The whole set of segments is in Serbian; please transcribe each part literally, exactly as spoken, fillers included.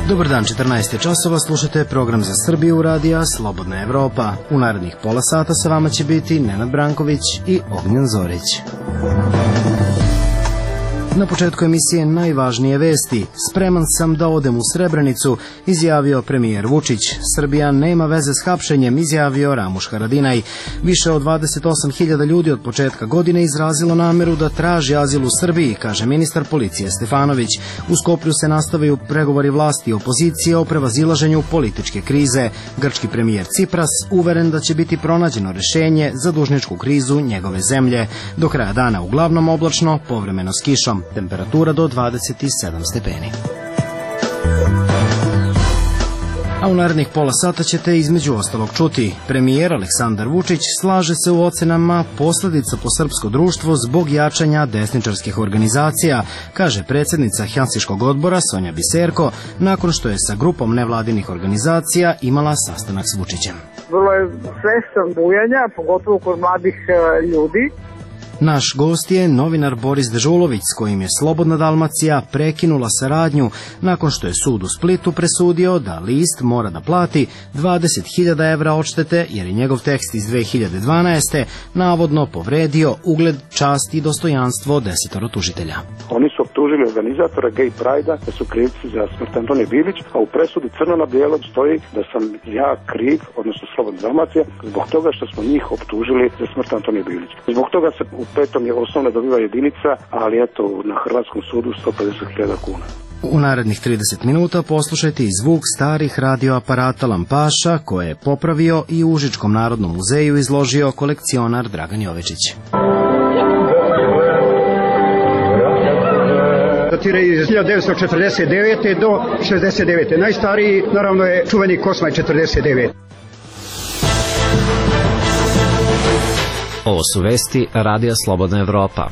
Dobar dan, četrnaest je časova, slušate program za Srbiju radija Slobodna Evropa. U narednih pola sata sa vama će biti Nenad Branković i Ognjen Zorić. Na početku emisije najvažnije vesti. Spreman sam da odem u Srebrenicu, izjavio premijer Vučić. Srbija nema veze s hapšenjem, izjavio Ramuš Haradinaj. Više od dvadeset osam hiljada ljudi od početka godine izrazilo nameru da traži azil u Srbiji, kaže ministar policije Stefanović. U Skoplju se nastavaju pregovori vlasti i opozicije o prevazilaženju političke krize. Grčki premijer Cipras uveren da će biti pronađeno rešenje za dužničku krizu njegove zemlje. Do kraja dana uglavnom oblačno, povremeno s kišom. Temperatura do dvadeset sedam stepeni. A u narednih pola sata ćete između ostalog čuti. Premijer Aleksandar Vučić slaže se u ocenama posledica po srpsko društvo zbog jačanja desničarskih organizacija, kaže predsjednica Helsinškog odbora Sonja Biserko, nakon što je sa grupom nevladinih organizacija imala sastanak s Vučićem. Vrlo je svestan bujanja, pogotovo kod mladih ljudi. Naš gost je novinar Boris Dežulović, s kojim je Slobodna Dalmacija prekinula saradnju nakon što je sud u Splitu presudio da list mora da plati dvadeset hiljada evra odštete jer je njegov tekst iz dve hiljade dvanaeste. navodno povredio ugled, čast i dostojanstvo desetoro tužitelja. Oni su optužili organizatora Gay Pride-a da su krivci za smrt Antonije Bilić, a u presudi crno na bijelo stoji da sam ja kriv, odnosno Slobodna Dalmacija, zbog toga što smo njih optužili za smrt Antonije Bilić. Zbog toga se u petom je osnovna dobiva jedinica, ali eto na Hrvatskom sudu sto pedeset hiljada kuna. U narednih trideset minuta poslušajte i zvuk starih radioaparata Lampaša koje je popravio i u Užičkom narodnom muzeju izložio kolekcionar Dragan Jovečić. Datiraju iz hiljadu devetsto četrdeset devete do šezdeset devete. Najstariji naravno je čuveni Kosmaj četrdeset devete. Ovo su vesti Radija Slobodna Evropa.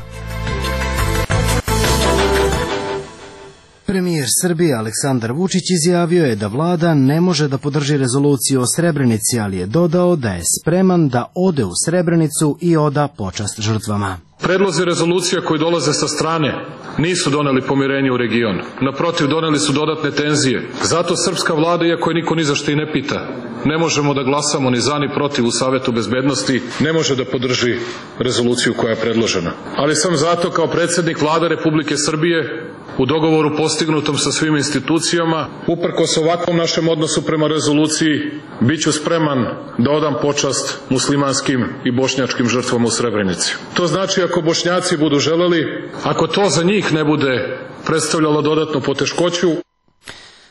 Premijer Srbije Aleksandar Vučić izjavio je da vlada ne može da podrži rezoluciju o Srebrenici, ali je dodao da je spreman da ode u Srebrenicu i oda počast žrtvama. Predlozi rezolucija koji dolaze sa strane nisu doneli pomirenje u regionu. Naprotiv, doneli su dodatne tenzije. Zato srpska vlada, iako je niko ni za što i ne pita, ne možemo da glasamo ni za ni protiv u Savetu bezbednosti, ne može da podrži rezoluciju koja je predložena. Ali sam zato kao predsjednik Vlade Republike Srbije u dogovoru postignutom sa svim institucijama, uprkos ovakvom našem odnosu prema rezoluciji, bit ću spreman da odam počast muslimanskim i bošnjačkim žrtvama u Srebrenici. To znači ako Bošnjaci budu želeli, ako to za njih ne bude predstavljalo dodatnu poteškoću.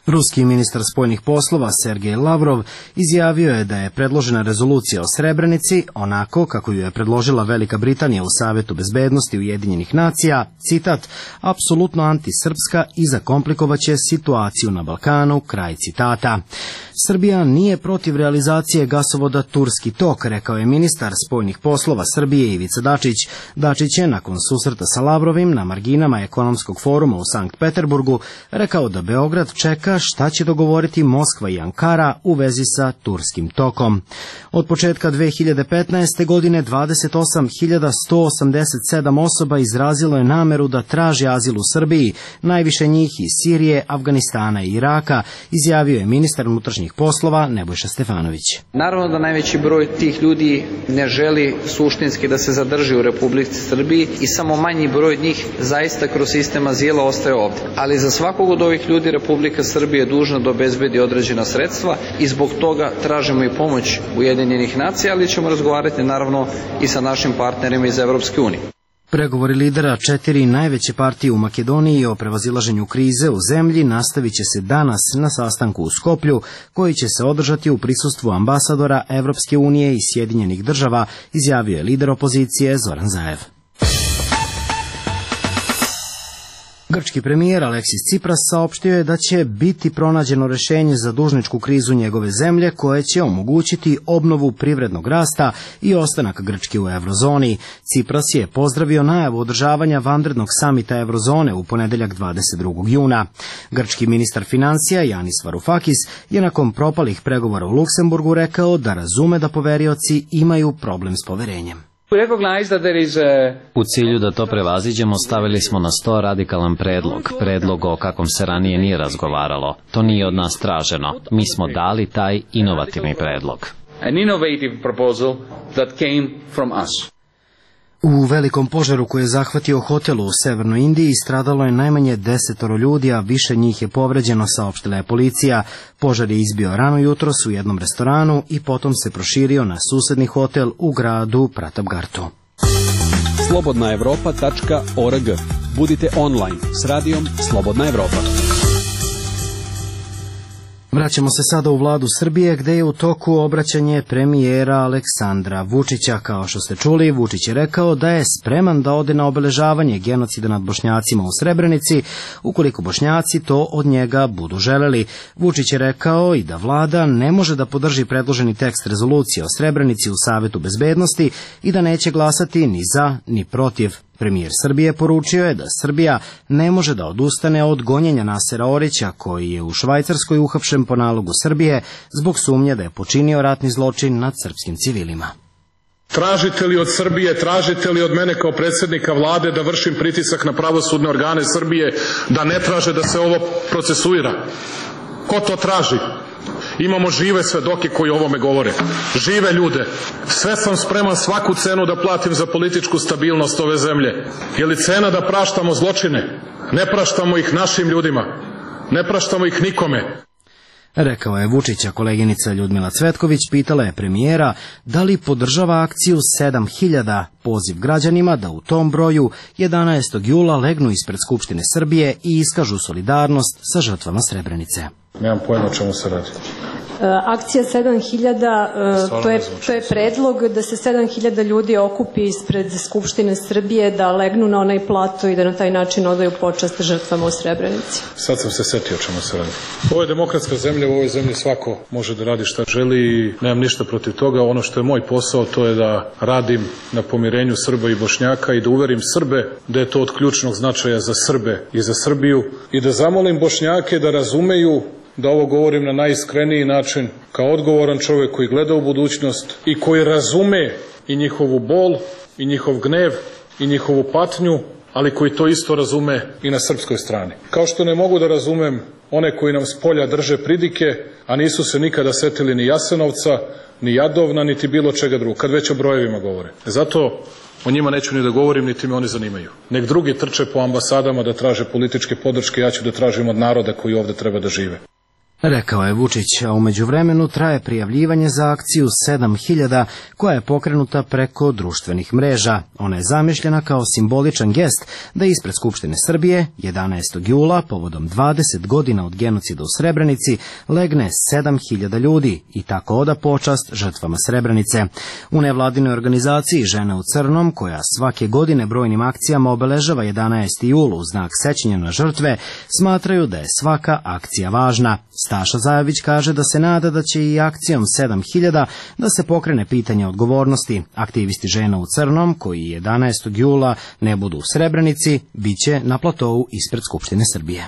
Ruski ministar spoljnih poslova Sergej Lavrov izjavio je da je predložena rezolucija o Srebrenici, onako kako ju je predložila Velika Britanija u Savetu bezbednosti Ujedinjenih nacija, citat, apsolutno antisrpska i zakomplikovaće situaciju na Balkanu, kraj citata. Srbija nije protiv realizacije gasovoda Turski tok, rekao je ministar spoljnih poslova Srbije Ivica Dačić. Dačić je nakon susreta sa Lavrovim na marginama ekonomskog foruma u Sankt Peterburgu rekao da Beograd čeka šta će dogovoriti Moskva i Ankara u vezi sa Turskim tokom. Od početka dve hiljade petnaeste. godine dvadeset osam hiljada sto osamdeset sedam osoba izrazilo je nameru da traži azil u Srbiji, najviše njih iz Sirije, Afganistana i Iraka, izjavio je ministar unutrašnjih poslova Nebojša Stefanović. Naravno da najveći broj tih ljudi ne želi suštinski da se zadrži u Republici Srbiji i samo manji broj njih zaista kroz sistem azila ostaje ovdje. Ali za svakog od ovih ljudi Republika Srbija je dužna da obezbedi određena sredstva i zbog toga tražimo i pomoć Ujedinjenih nacija, ali ćemo razgovarati naravno i sa našim partnerima iz Evropske unije. Pregovori lidera četiri najveće partije u Makedoniji o prevazilaženju krize u zemlji nastavit će se danas na sastanku u Skoplju, koji će se održati u prisustvu ambasadora Evropske unije i Sjedinjenih država, izjavio je lider opozicije Zoran Zaev. Grčki premijer Aleksis Cipras saopštio je da će biti pronađeno rešenje za dužničku krizu njegove zemlje koje će omogućiti obnovu privrednog rasta i ostanak Grčke u eurozoni. Cipras je pozdravio najavu održavanja vanrednog samita eurozone u ponedeljak dvadeset drugog juna. Grčki ministar financija Janis Varoufakis je nakon propalih pregovora u Luksemburgu rekao da razume da poverioci imaju problem s poverenjem. U cilju da to prevaziđemo, stavili smo na sto radikalan predlog, predlog o kakvom se ranije nije razgovaralo. To nije od nas traženo. Mi smo dali taj inovativni predlog. An innovative proposal that came from us. U velikom požaru koji je zahvatio hotel u Severnoj Indiji stradalo je najmanje desetoro ljudi, a više njih je povređeno, saopštila je policija. Požar je izbio rano jutros u jednom restoranu i potom se proširio na susedni hotel u gradu Pratapgartu. slobodna evropa tačka org. Budite online s radijom Slobodna Evropa. Vraćamo se sada u vladu Srbije, gde je u toku obraćanje premijera Aleksandra Vučića. Kao što ste čuli, Vučić je rekao da je spreman da ode na obeležavanje genocida nad Bošnjacima u Srebrenici, ukoliko Bošnjaci to od njega budu želeli. Vučić je rekao i da vlada ne može da podrži predloženi tekst rezolucije o Srebrenici u Savetu bezbednosti i da neće glasati ni za ni protiv. Premijer Srbije poručio je da Srbija ne može da odustane od gonjenja Nasera Orića, koji je u Švajcarskoj uhapšen po nalogu Srbije zbog sumnje da je počinio ratni zločin nad srpskim civilima. Tražite li od Srbije, tražite li od mene kao predsjednika vlade da vršim pritisak na pravosudne organe Srbije da ne traže da se ovo procesuira? Ko to traži? Imamo žive svedoke koji o ovome govore. Žive ljude. Sve sam spreman svaku cenu da platim za političku stabilnost ove zemlje. Je li cena da praštamo zločine? Ne praštamo ih našim ljudima. Ne praštamo ih nikome. Rekao je Vučića. Koleginica Ljudmila Cvetković pitala je premijera da li podržava akciju sedam hiljada, poziv građanima da u tom broju jedanaestog jula legnu ispred Skupštine Srbije i iskažu solidarnost sa žrtvama Srebrenice. Nemam pojma o čemu se radi. Akcija sedam hiljada, to je, to je predlog da se sedam hiljada ljudi okupi ispred Skupštine Srbije, da legnu na onaj plato i da na taj način odaju počast žrtvama u Srebrenici. Sad sam se setio o čemu se radi. Ovo je demokratska zemlja, u ovoj zemlji svako može da radi šta želi i nemam ništa protiv toga. Ono što je moj posao, to je da radim na pomirenju Srba i Bošnjaka i da uverim Srbe da je to od ključnog značaja za Srbe i za Srbiju i da zamolim Bošnjake da razumeju da ovo govorim na najiskreniji način, kao odgovoran čovjek koji gleda u budućnost i koji razume i njihovu bol, i njihov gnev, i njihovu patnju, ali koji to isto razume i na srpskoj strani. Kao što ne mogu da razumem one koji nam s polja drže pridike, a nisu se nikada setili ni Jasenovca, ni Jadovna, niti bilo čega drugog, kad već o brojevima govore. Zato o njima neću ni da govorim, niti me oni zanimaju. Nek drugi trče po ambasadama da traže političke podrške, ja ću da tražim od naroda koji ovde treba da žive. Rekao je Vučić, a u međuvremenu traje prijavljivanje za akciju sedam hiljada koja je pokrenuta preko društvenih mreža. Ona je zamišljena kao simboličan gest da ispred Skupštine Srbije jedanaestog jula, povodom dvadeset godina od genocida u Srebrenici, legne sedam hiljada ljudi i tako oda počast žrtvama Srebrenice. U nevladinoj organizaciji Žene u crnom, koja svake godine brojnim akcijama obeležava jedanaesti jul u znak sećanja na žrtve, smatraju da je svaka akcija važna. Staša Zajović kaže da se nada da će i akcijom sedam hiljada da se pokrene pitanje odgovornosti. Aktivisti Žena u crnom, koji jedanaestog jula ne budu u Srebrenici, bit će na platovu ispred Skupštine Srbije.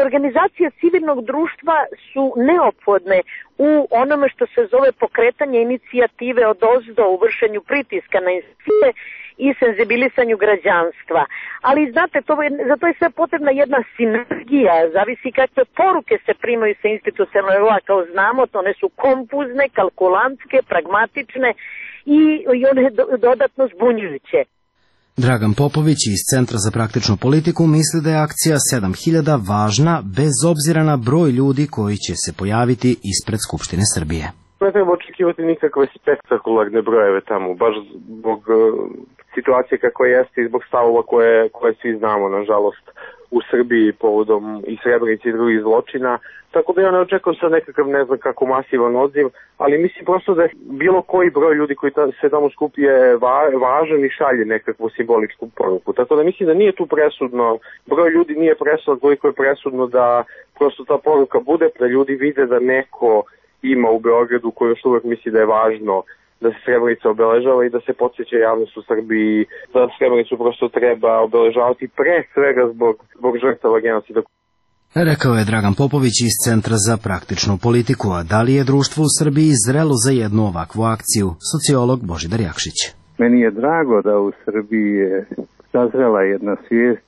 Organizacije civilnog društva su neophodne u onome što se zove pokretanje inicijative od ozdo u vršenju pritiska na institucije i senzibilisanju građanstva. Ali znate, to je, za to je sve potrebna jedna sinergija, zavisi kakve poruke se primaju sa institucionalnog nivoa, kao znamo, to one su kompuzne, kalkulantske, pragmatične i, i one do, dodatno zbunjujuće. Dragan Popović iz Centra za praktičnu politiku misli da je akcija sedam hiljada važna bez obzira na broj ljudi koji će se pojaviti ispred Skupštine Srbije. Ne treba očekivati nikakve spektakularne brojeve tamo, baš zbog uh, situacije kako jeste i zbog stavova koje, koje svi znamo, nažalost, u Srbiji povodom i Srebrenice i drugih zločina. Tako da ja ne očekujem sad nekakav, ne znam kako, masivan odziv, ali mislim prosto da bilo koji broj ljudi koji ta, se tamo skupi je va, važan i šalje nekakvu simboličku poruku. Tako da mislim da nije tu presudno, broj ljudi nije presudno, koliko je presudno da prosto ta poruka bude, da ljudi vide da neko ima u Beogradu koji još uvek misli da je važno da se Srebrenica obeležava i da se podsjeća javnost u Srbiji da Srebrenicu prosto treba obeležavati pre svega zbog, zbog žrtava genocida. Rekao je Dragan Popović iz Centra za praktičnu politiku, a da li je društvo u Srbiji zrelo za jednu ovakvu akciju? Sociolog Božidar Jakšić. Meni je drago da u Srbiji je sazrela jedna svijest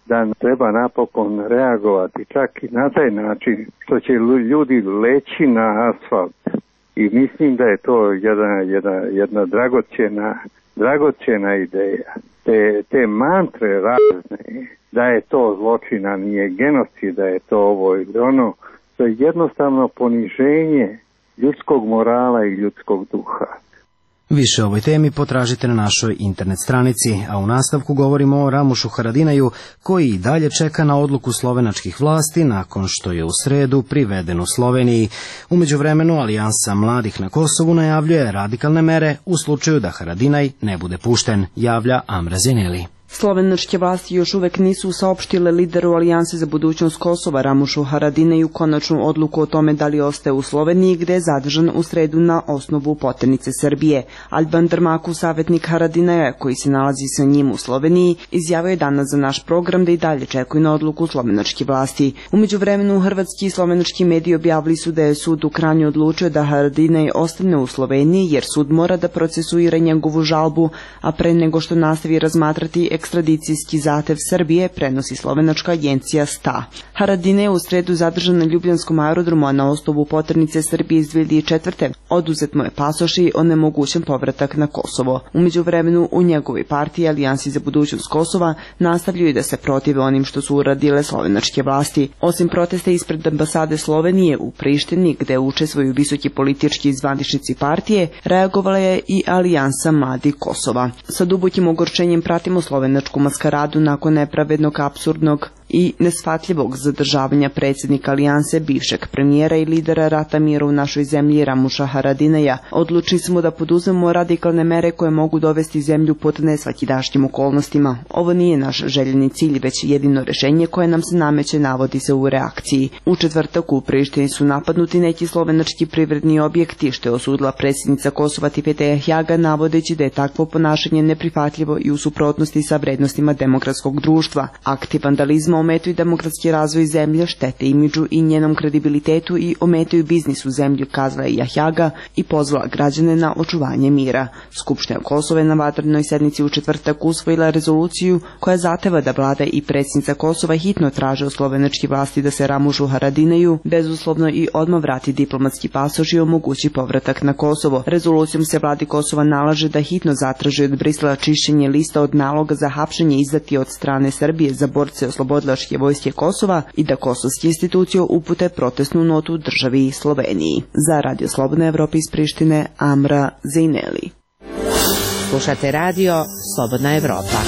da treba napokon reagovati čak i na taj način što će ljudi leći na asfalt. I mislim da je to jedna, jedna, jedna dragocjena, dragocjena ideja. Te, te mantre razne, da je to zločina, nije genocid, da je to ovo ili ono, to je jednostavno poniženje ljudskog morala i ljudskog duha. Više o ovoj temi potražite na našoj internet stranici, a u nastavku govorimo o Ramušu Haradinaju, koji i dalje čeka na odluku slovenačkih vlasti nakon što je u sredu priveden u Sloveniji. U međuvremenu Alijansa mladih na Kosovu najavljuje radikalne mere u slučaju da Haradinaj ne bude pušten, javlja Amra Zeneli. Slovenačke vlasti još uvek nisu saopštile lideru Alijanse za budućnost Kosova Ramušu Haradinaju konačnu odluku o tome da li ostaje u Sloveniji, gde je zadržan u sredu na osnovu poternice Srbije. Alban Drmaku, savjetnik Haradinaja koji se nalazi sa njim u Sloveniji, izjavio je danas za naš program da i dalje čekuju na odluku slovenačke vlasti. U međuvremenu hrvatski i slovenački mediji objavili su da je sud u Kranju odlučio da Haradinaj ostane u Sloveniji jer sud mora da procesuira njegovu žalbu, a pre nego što nastavi razmatrati ekstradicijski zahtev Srbije, prenosi slovenačka agencija S T A. Haradinaj je u sredu zadržan na Ljubljanskom aerodromu, a na osnovu poternice Srbije iz dve hiljade četvrte. Oduzet mu je pasoš i onemogućen povratak na Kosovo. U međuvremenu u njegovoj partiji Alijansi za budućnost Kosova nastavljaju da se protive onim što su uradile slovenačke vlasti. Osim protesta ispred ambasade Slovenije u Prištini, gde učestvuju visoki politički zvaničnici partije, reagovala je i Alijansa mladih Kosova. Sa dubokim ogorčenjem pratimo slovenačku maskaradu nakon nepravednog, apsurdnog i neshvatljivog zadržavanja predsjednika Alijanse, bivšeg premijera i lidera rata mira u našoj zemlji Ramuša Haradinaja. Odlučili smo da poduzmemo radikalne mere koje mogu dovesti zemlju pod nesvakidašnjim okolnostima. Ovo nije naš željeni cilj, već jedino rešenje koje nam se nameće, navodi se u reakciji. U četvrtak u Prištini su napadnuti neki slovenački privredni objekti, što je osudila predsjednica Kosova Tipete Hjaga, navodeći da je takvo ponašanje neprihvatljivo i u suprotnosti sa vrednostima demokratskog društva. Akti vandalizma ometaju demokratski razvoj zemlje, štete imidžu i njenom kredibilitetu i ometaju biznis u zemlji, kazala je Jahjaga i pozvala građane na očuvanje mira. Skupština Kosova je na vanrednoj sednici u četvrtak usvojila rezoluciju koja zahteva da vlada i predsjednica Kosova hitno traže od slovenačke vlasti da se Ramušu Haradinaju bezuslovno i odmah vrati diplomatski pasoš i omogući povratak na Kosovo. Rezolucijom se vladi Kosova nalaže da hitno zatraži od Brisela čišćenje lista od naloga za hapšenje izdati od strane Srbije za borce oslobodilačke vojske Kosova i da kosovske institucije upute protestnu notu državi Sloveniji. Za Radio Slobodna Evropa iz Prištine, Amra Zeneli. Slušate radio Slobodna Evropa.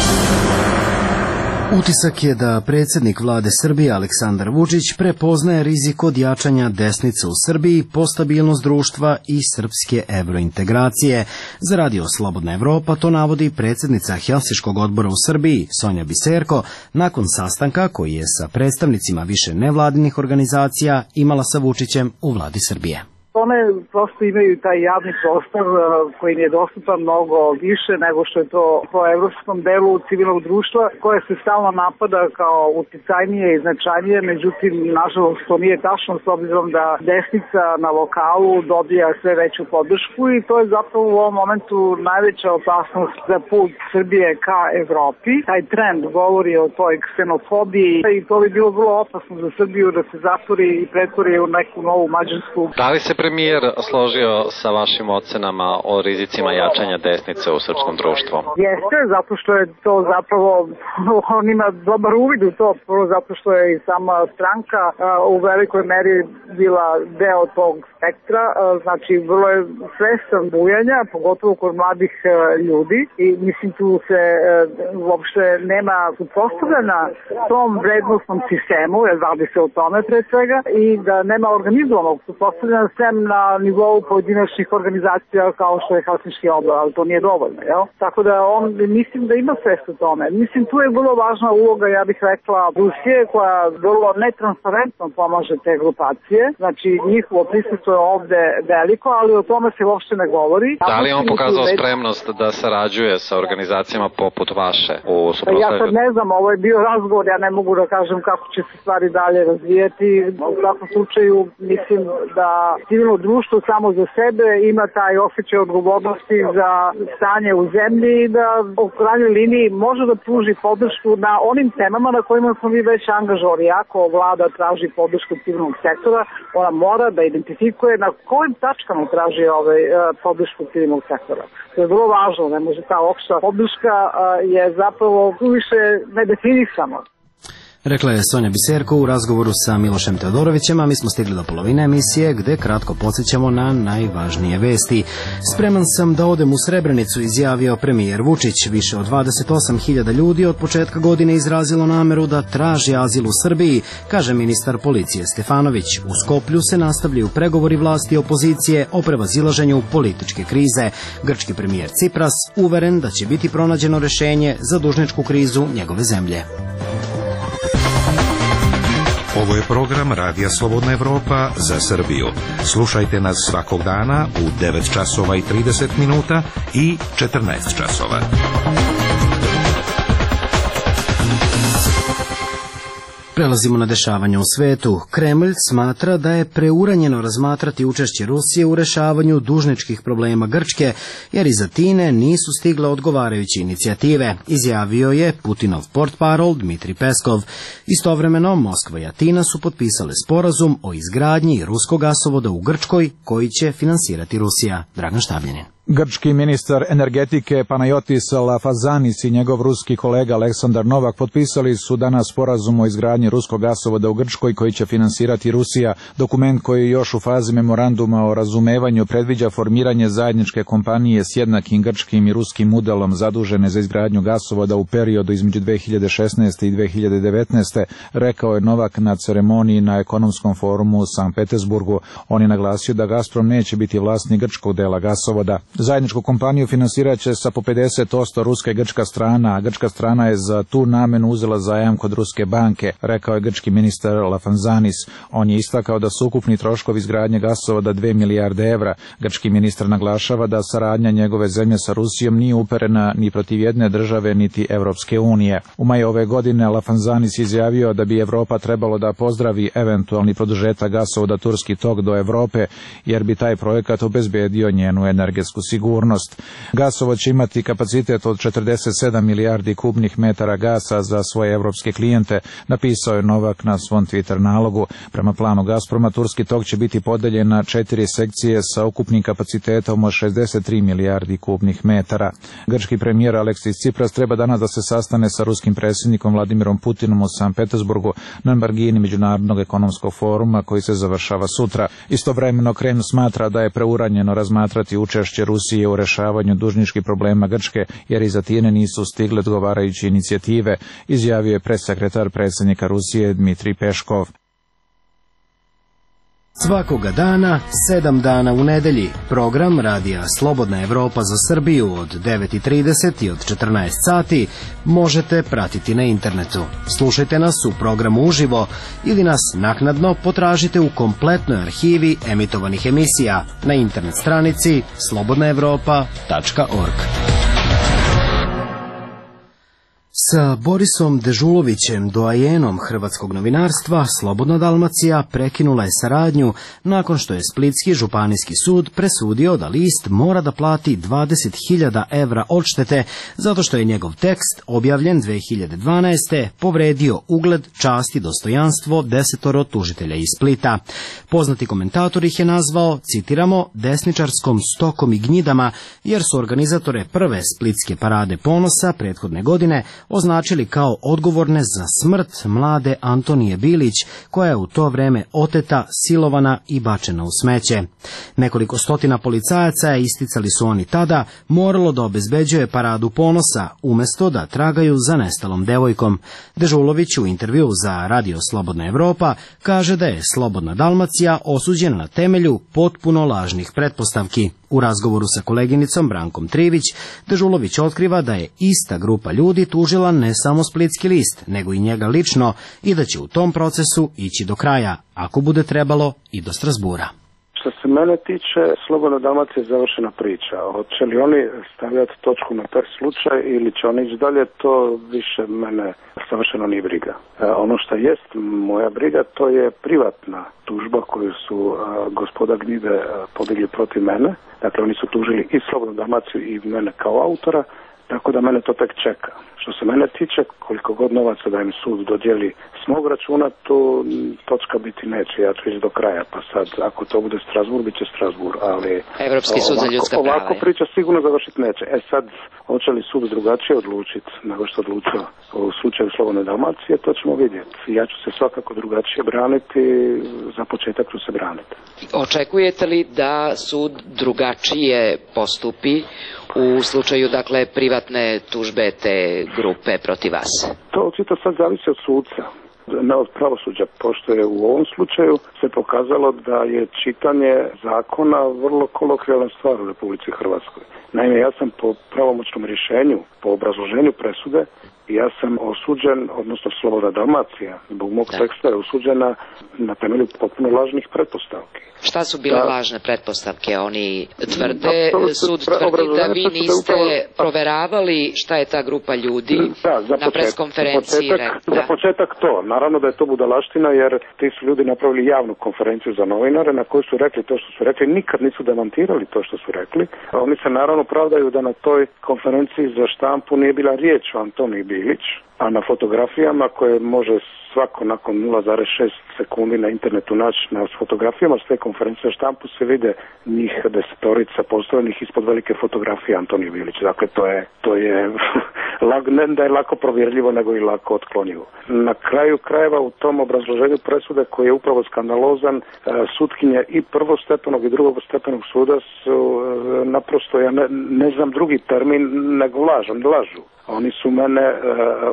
Utisak je da predsjednik vlade Srbije Aleksandar Vučić prepoznaje rizik od jačanja desnice u Srbiji po stabilnost društva i srpske evrointegracije. Za Radio Slobodna Evropa to navodi predsjednica Helsinškog odbora u Srbiji Sonja Biserko nakon sastanka koji je sa predstavnicima više nevladinih organizacija imala sa Vučićem u vladi Srbije. One prosto imaju taj javni prostor koji im je dostupan mnogo više nego što je to po evropskom delu civilnog društva koje se stalno napada kao uticajnije i značajnije, međutim nažalost to nije tačno s obzirom da desnica na lokalu dobija sve veću podršku i to je zapravo u ovom momentu najveća opasnost za put Srbije ka Evropi. Taj trend govori o toj ksenofobiji i to bi bilo vrlo opasno za Srbiju da se zatvori i pretvori u neku novu Mađarsku. Da li se premijer složio sa vašim ocenama o rizicima jačanja desnice u srpskom društvu? Jeste, zato što je to zapravo, on ima dobar uvid u to, prvo zato što je i sama stranka u velikoj meri bila deo tog spektra, znači vrlo je svestan bujanja, pogotovo kod mladih ljudi i mislim tu se uopšte nema suprotstavljena tom vrednostnom sistemu, jer radi se o tome pre svega, i da nema organizovanog suprotstavljena sem na nivou pojedinačnih organizacija kao što je Helsinški odbor, ali to nije dovoljno, jel? Tako da on, mislim da ima svest u tome. Mislim, tu je vrlo važna uloga, ja bih rekla, Rusije, koja vrlo netransparentno pomaže te grupacije Rusije, znači njihovo prisustvo je ovde veliko, ali o tome se uopšte ne govori. Da li on pokazao spremnost da sarađuje sa organizacijama poput vaše u suprotstavljanju? Ja sad ne znam, ovo je bio razgovor, ja ne mogu da kažem kako će se stvari dalje razvijeti. U svakom slučaju mislim da civilno društvo samo za sebe ima taj osjećaj odgovornosti za stanje u zemlji i da u krajnjoj liniji može da pruži podršku na onim temama na kojima smo mi već angažovani. Ako vlada traži podršku civilnog sektora, ona mora da identifikuje na kojim tačkama traži ovaj, podršku civilnog sektora. To je vrlo važno, ne može ta opšta podrška je zapravo više nedefinisana. Rekla je Sonja Biserko u razgovoru sa Milošem Teodorovićem, a mi smo stigli do polovine emisije gde kratko podsjećamo na najvažnije vesti. Spreman sam da odem u Srebrenicu, izjavio premijer Vučić. Više od dvadeset osam hiljada ljudi od početka godine izrazilo nameru da traži azil u Srbiji, kaže ministar policije Stefanović. U Skoplju se nastavljaju pregovori vlasti i opozicije o prevazilaženju političke krize. Grčki premijer Cipras uveren da će biti pronađeno rešenje za dužničku krizu njegove zemlje. Ovo je program Radija Slobodna Evropa za Srbiju. Slušajte nas svakog dana u devet časova i trideset minuta i četrnaest časova. Prelazimo na dešavanja u svetu. Kremlj smatra da je preuranjeno razmatrati učešće Rusije u rešavanju dužničkih problema Grčke, jer iz Atine nisu stigle odgovarajuće inicijative, izjavio je Putinov portparol Dmitri Peskov. Istovremeno, Moskva i Atina su potpisale sporazum o izgradnji ruskog gasovoda u Grčkoj, koji će finansirati Rusija. Dragan Štabljanin. Grčki ministar energetike Panayotis Lafazanis i njegov ruski kolega Aleksandar Novak potpisali su danas sporazum o izgradnji ruskog gasovoda u Grčkoj koji će finansirati Rusija. Dokument koji je još u fazi memoranduma o razumevanju predviđa formiranje zajedničke kompanije s jednakim grčkim i ruskim udelom zadužene za izgradnju gasovoda u periodu između dve hiljade šesnaeste i dve hiljade devetnaeste, rekao je Novak na ceremoniji na ekonomskom forumu u Sankt Petersburgu. On je naglasio da Gazprom neće biti vlasnik grčkog dela gasovoda. Zajedničku kompaniju finansirat će sa po pedeset posto ruska i grčka strana, a grčka strana je za tu namenu uzela zajam kod ruske banke, rekao je grčki ministar Lafanzanis. On je istakao da su ukupni troškovi izgradnje gasovoda dve milijarde evra. Grčki ministar naglašava da saradnja njegove zemlje sa Rusijom nije uperena ni protiv jedne države niti Evropske unije. U maju ove godine Lafanzanis izjavio da bi Evropa trebalo da pozdravi eventualni produžetak gasovoda Turski tok do Evrope, jer bi taj projekat obezbedio njenu energetsku sigurnost. Gasovod će imati kapacitet od četrdeset sedam milijardi kubnih metara gasa za svoje evropske klijente, napisao je Novak na svom Twitter nalogu. Prema planu Gazproma, Turski tok će biti podeljen na četiri sekcije sa ukupnim kapacitetom od šezdeset tri milijardi kubnih metara. Grčki premijer Aleksis Cipras treba danas da se sastane sa ruskim predsjednikom Vladimirom Putinom u Sankt Petersburgu na margini Međunarodnog ekonomskog foruma koji se završava sutra. Istovremeno Kremlj smatra da je preuranjeno razmatrati učešće Rusije u rešavanju dužničkih problema Grčke, jer iz Atine nisu stigle odgovarajuće inicijative, izjavio je pressekretar predsjednika Rusije Dmitri Peškov. Svakoga dana, sedam dana u nedelji, program Radija Slobodna Evropa za Srbiju od devet i trideset i od četrnaest sati možete pratiti na internetu. Slušajte nas u programu uživo ili nas naknadno potražite u kompletnoj arhivi emitovanih emisija na internet stranici slobodna evropa tačka org. Sa Borisom Dežulovićem, doajenom hrvatskog novinarstva, Slobodna Dalmacija prekinula je saradnju nakon što je Splitski županijski sud presudio da list mora da plati dvadeset hiljada evra odštete zato što je njegov tekst, objavljen dve hiljade dvanaeste. povredio ugled, čast i dostojanstvo desetoro tužitelja iz Splita. Poznati komentator ih je nazvao, citiramo, desničarskom stokom i gnjidama, jer su organizatore prve Splitske parade ponosa prethodne godine označili kao odgovorne za smrt mlade Antonije Bilić, koja je u to vreme oteta, silovana i bačena u smeće. Nekoliko stotina policajaca, isticali su oni tada, moralo da obezbeđuje paradu ponosa, umesto da tragaju za nestalom devojkom. Dežulović u intervju za Radio Slobodna Evropa kaže da je Slobodna Dalmacija osuđena na temelju potpuno lažnih pretpostavki. U razgovoru sa koleginicom Brankom Trivić, Dežulović otkriva da je ista grupa ljudi tužila ne samo Splitski list, nego i njega lično i da će u tom procesu ići do kraja, ako bude trebalo i do Strasbura. Što se mene tiče, Slobodna Dalmacija je završena priča. Hoće li oni stavljati točku na taj slučaj ili će oni ići dalje, to više mene savršeno nije briga. E, ono što jest moja briga, to je privatna tužba koju su a, gospoda Gnjide a, podigli protiv mene. Dakle, oni su tužili i Slobodnu Dalmaciju i mene kao autora, tako da mene to tek čeka. Što se mene tiče, koliko god novaca da im sud dodijeli s mog računa, tu točka biti neće, ja ću ići do kraja, pa sad, ako to bude Strasbourg, bit će Strasbourg, ali Evropski sud za ljudska prava. Ovako priča sigurno završiti neće. E sad, hoće li sud drugačije odlučiti nego što odlučio u slučaju Slobodne Dalmacije, to ćemo vidjeti. Ja ću se svakako drugačije braniti, za početak ću se braniti. Očekujete li da sud drugačije postupi u slučaju, dakle, privatne tužbe te grupe protiv vas? To očito sad zavisi od sudca, ne od pravosuđa, pošto je u ovom slučaju se pokazalo da je čitanje zakona vrlo kolokvijalna stvar u Republici Hrvatskoj. Naime, ja sam po pravomoćnom rješenju, po obrazloženju presude, ja sam osuđen, odnosno Slobodna Dalmacija, zbog mog teksta je osuđena na temelju potpuno lažnih pretpostavki. Šta su bile da. lažne pretpostavke? Oni tvrde, da, sud tvrdi da vi niste upravo proveravali šta je ta grupa ljudi da, za na preskonferenciji. Za početak, za početak to. Naravno da je to budalaština, jer ti su ljudi napravili javnu konferenciju za novinare na kojoj su rekli to što su rekli, nikad nisu demantirali to što su rekli. A oni se naravno pravdaju da na toj konferenciji za štampu nije bila riječ o Antoniji Bilić, a na fotografijama koje može svako nakon nula zarez šest sekundi na internetu naći, na fotografijama s te konferencije za štampu se vide njih desetorica postavljenih ispod velike fotografije Antonije Bilić. Dakle, to je, to je ne da je lako provjerljivo, nego i lako otklonjivo. Na kraju krajeva u tom obrazloženju presude koji je upravo skandalozan, sutkinje i prvostepenog i drugostepenog suda su naprosto, ja ne, ne znam drugi termin, nego lažu, lažu. Oni su mene,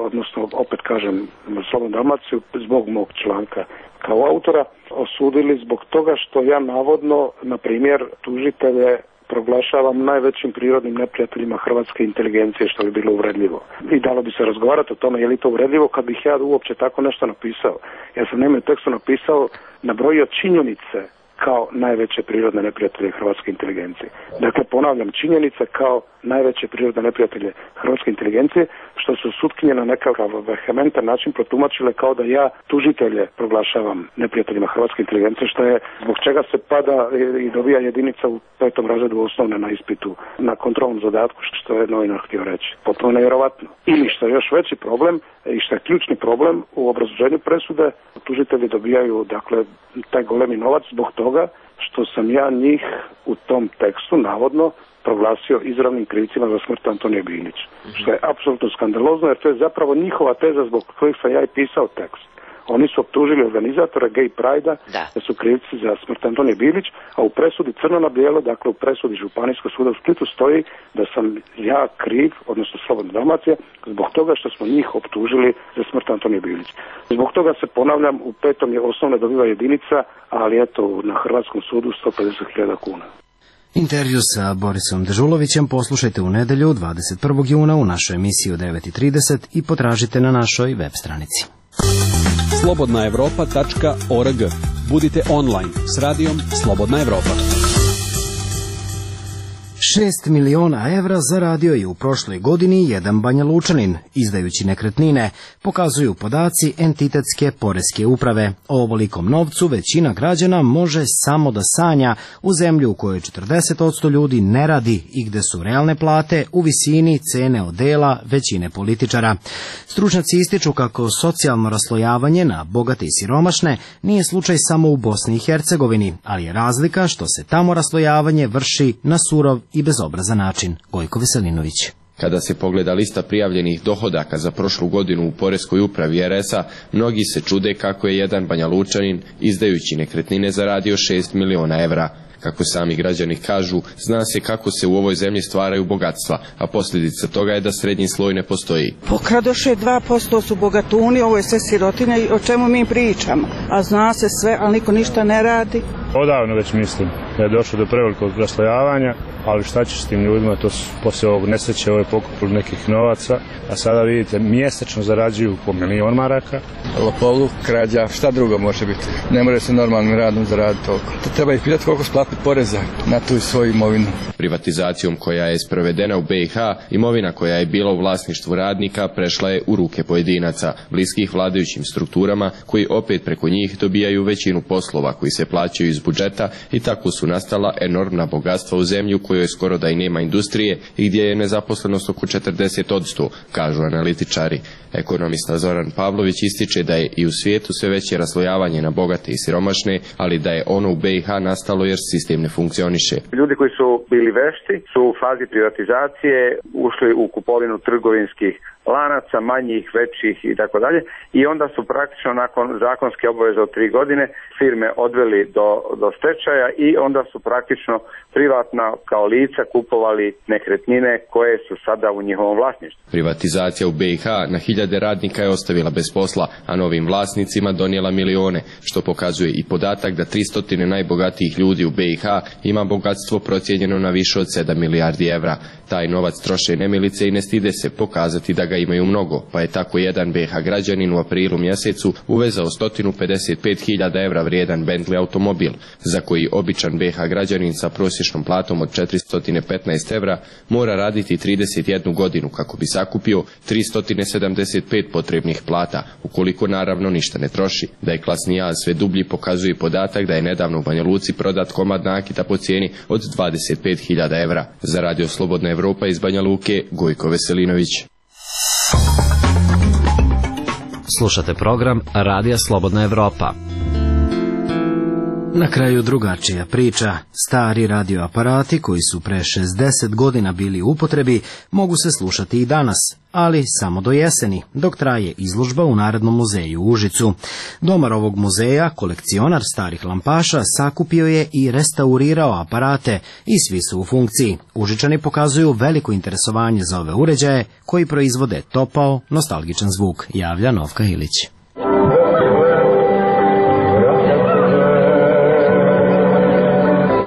odnosno opet kažem, Slobodnu Dalmaciju zbog mog članka kao autora osudili zbog toga što ja navodno, na primjer, tužitelje proglašavam najvećim prirodnim neprijateljima hrvatske inteligencije, što bi bilo uvredljivo. I dalo bi se razgovarati o tome je li to uvredljivo kad bih ja uopće tako nešto napisao. Ja sam naime u tekstu napisao, nabrojio činjenice kao najveće prirodne neprijatelje hrvatske inteligencije. Dakle, ponavljam, činjenice kao najveće prirodne neprijatelje hrvatske inteligencije, što su sutkinje na nekakav vehementan način protumačile kao da ja tužitelje proglašavam neprijateljima hrvatske inteligencije, što je zbog čega se pada i dobija jedinica u petom razredu osnovne na ispitu na kontrolnom zadatku, što je novinar htio reći. Potpuno nevjerovatno. Ili što je još veći problem i što je ključni problem u obrazloženju presude, tužitelji dobijaju, dakle, taj golemi novac zbog toga što sam ja njih u tom tekstu navodno proglasio izravnim krivcima za smrt Antonije Bilić. Mm-hmm. Što je apsolutno skandalozno, jer to je zapravo njihova teza zbog kojih sam ja i pisao tekst. Oni su optužili organizatore Gay Pride-a da. da su krivci za smrt Antonije Bilić, a u presudi crno na bijelo, dakle u presudi Županijskog suda u Splitu stoji da sam ja kriv, odnosno Slobodna Dalmacija, zbog toga što smo njih optužili za smrt Antonije Bilić. Zbog toga se, ponavljam, u petom je osnovne dobiva jedinica, ali eto na Hrvatskom sudu sto pedeset hiljada kuna. Intervju sa Borisom Dežulovićem poslušajte u nedelju dvadeset prvog juna u našoj emisiji u devet i trideset i potražite na našoj web stranici. slobodna evropa tačka org. Budite online s radijom Slobodna Evropa. Šest miliona evra zaradio je u prošloj godini jedan Banja Lučanin, izdajući nekretnine, pokazuju podaci entitetske poreske uprave. O ovolikom novcu većina građana može samo da sanja u zemlju u kojoj četrdeset posto ljudi ne radi i gde su realne plate u visini cene odela većine političara. Stručnjaci ističu kako socijalno raslojavanje na bogate i siromašne nije slučaj samo u Bosni i Hercegovini, ali je razlika što se tamo raslojavanje vrši na surov i bezobrazan način. Gojko Veselinović. Kada se pogleda lista prijavljenih dohodaka za prošlu godinu u poreskoj upravi er es a, mnogi se čude kako je jedan Banja Lučanin, izdajući nekretnine, zaradio šest miliona evra. Kako sami građani kažu, zna se kako se u ovoj zemlji stvaraju bogatstva, a posljedica toga je da srednji sloj ne postoji. Pokradoše dva posto su bogatuni, ovo je sve sirotinja i o čemu mi pričamo. A zna se sve, ali niko ništa ne radi. Odavno već mislim. da je došlo do prevelikog raslojavanja, ali šta će s tim ljudima, to su poslije ovog nesreće ove pokupili nekih novaca, a sada vidite mjesečno zarađuju po milion maraka. Lopovluk, krađa, šta drugo može biti? Ne može se normalnim radom zaraditi toliko. To treba ih pitati koliko splatiti poreza na tu svoju imovinu. Privatizacijom koja je sprovedena u B i H, imovina koja je bila u vlasništvu radnika prešla je u ruke pojedinaca, bliskih vladajućim strukturama, koji opet preko njih dobijaju većinu poslova koji se plaćaju iz budžeta i tako su nastala enormna bogatstva u zemlji u kojoj skoro da i nema industrije i gdje je nezaposlenost oko četrdeset posto, kažu analitičari. Ekonomista Zoran Pavlović ističe da je i u svijetu sve veće raslojavanje na bogate i siromašne, ali da je ono u B i H nastalo jer sistem ne funkcioniše. Ljudi koji su bili vešti su u fazi privatizacije ušli u kupovinu trgovinskih lanaca, manjih, većih i tako dalje, i onda su praktično nakon zakonske obaveze od tri godine firme odveli do, do stečaja i onda su praktično privatna kao lica kupovali nekretnine koje su sada u njihovom vlasništvu. Privatizacija u B i H na hiljade radnika je ostavila bez posla, a novim vlasnicima donijela milione, što pokazuje i podatak da tristo najbogatijih ljudi u B i H ima bogatstvo procijenjeno na više od sedam milijardi evra. Taj novac troše nemilice i ne stide se pokazati da ga imaju mnogo, pa je tako jedan B i H građanin u aprilu mjesecu uvezao sto pedeset pet hiljada evra vrijedan Bentley automobil, za koji običan B i H građanin sa prosječnom platom od četiristo petnaest evra mora raditi trideset jednu godinu kako bi sakupio tristo sedamdeset pet potrebnih plata, ukoliko naravno ništa ne troši. Da je klasni jaz sve dublji pokazuje podatak da je nedavno u Banja Luci prodat komad nakita po cijeni od dvadeset pet hiljada evra. Za Radio Slobodna Evropa iz Banja Luke, Gojko Veselinović. Slušate program Radija Slobodna Evropa. Na kraju drugačija priča. Stari radioaparati koji su pre šezdeset godina bili u upotrebi mogu se slušati i danas, ali samo do jeseni, dok traje izložba u Narodnom muzeju u Užicu. Domar ovog muzeja, kolekcionar starih lampaša, sakupio je i restaurirao aparate i svi su u funkciji. Užičani pokazuju veliko interesovanje za ove uređaje koji proizvode topao, nostalgičan zvuk, javlja Novka Ilić.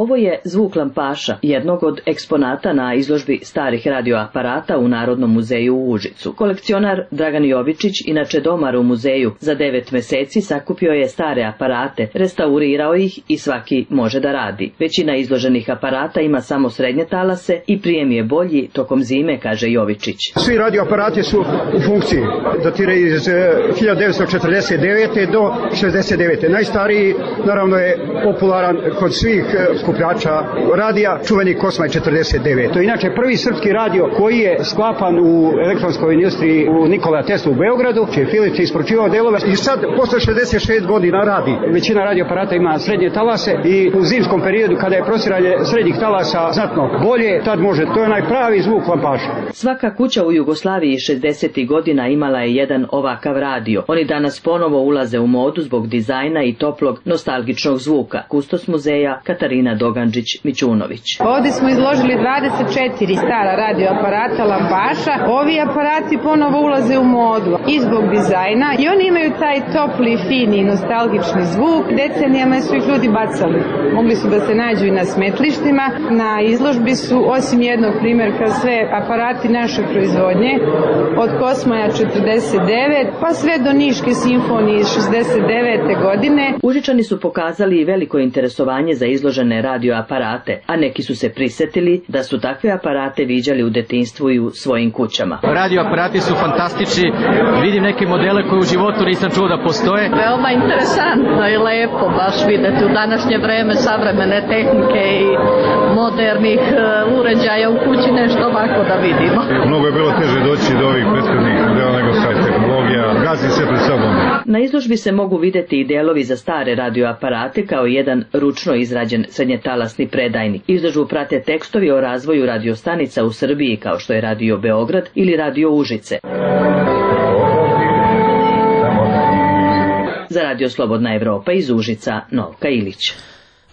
Ovo je zvuk lampaša, jednog od eksponata na izložbi starih radioaparata u Narodnom muzeju u Užicu. Kolekcionar Dragan Jovičić, inače domar u muzeju, za devet meseci sakupio je stare aparate, restaurirao ih i svaki može da radi. Većina izloženih aparata ima samo srednje talase i prijem je bolji tokom zime, kaže Jovičić. Svi radioaparati su u funkciji, datiraju iz hiljadu devetsto četrdeset devete do šezdeset devete. Najstariji, naravno, je popularan kod svih skupljača radija, čuveni Kosmaj četrdeset devet. To je inače prvi srpski radio koji je sklapan u elektronskoj industriji u Nikola Tesla u Beogradu, čiji je Philips isporučivao delove i sad posle šezdeset šest godina radi. Većina radioaparata ima srednje talase i u zimskom periodu kada je prostiranje srednjih talasa znatno bolje, tad može, to je najpravi zvuk lampaša. Svaka kuća u Jugoslaviji šezdesetih godina imala je jedan ovakav radio. Oni danas ponovo ulaze u modu zbog dizajna i toplog nostalgičnog zvuka. Kustos muzeja Katarina Dogančić-Mićunović. Ovdje smo izložili dvadeset četiri stara radioaparata lampaša. Ovi aparati ponovo ulaze u modu i zbog dizajna i oni imaju taj topli, fini, nostalgični zvuk. Decenijama su ih ljudi bacali. Mogli su da se nađu i na smetlištima. Na izložbi su, osim jednog primjerka, sve aparati naše proizvodnje, od Kosmaja četrdeset devet pa sve do Niške simfonije iz šezdeset devete godine. Užičani su pokazali veliko interesovanje za izložene radioaparate, a neki su se prisetili da su takve aparate viđali u detinjstvu i u svojim kućama. Radioaparati su fantastični, vidim neke modele koje u životu nisam čuo da postoje. Veoma interesantno i lepo baš videti u današnje vreme savremene tehnike i modernih uređaja u kući, nešto ovako da vidimo. Mnogo je bilo teže doći do ovih prethodnih modela nego sad tehnologija, gazi se pred sobom. Na izložbi se mogu videti i delovi za stare radioaparate kao jedan ručno izrađen srednjetalasni predajnik. Izložbu prate tekstovi o razvoju radiostanica u Srbiji kao što je Radio Beograd ili Radio Užice. Za Radio Slobodna Evropa iz Užica, Novka Ilić.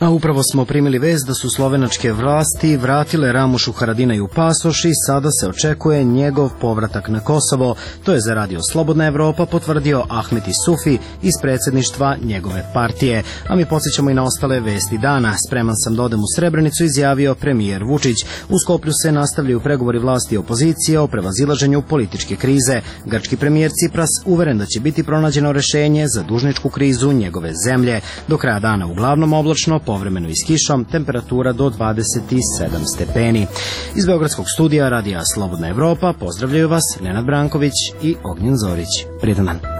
A upravo smo primili vest da su slovenačke vlasti vratile Ramušu Haradinaju pasoš i sada se očekuje njegov povratak na Kosovo. To je za radio Slobodna Evropa potvrdio Ahmet Isufi iz predsjedništva njegove partije. A mi podsjećamo i na ostale vesti dana. Spreman sam da odem u Srebrenicu, izjavio premijer Vučić. U Skoplju se nastavljaju pregovori vlasti i opozicije o prevazilaženju političke krize. Grčki premijer Cipras uveren da će biti pronađeno rešenje za dužničku krizu njegove zemlje. Do kraja dana uglavnom oblačno, povremeno i s kišom, temperatura do dvadeset sedam stepeni. Iz Beogradskog studija radija Slobodna Evropa pozdravljaju vas Nenad Branković i Ognjen Zorić. Prijetan dan.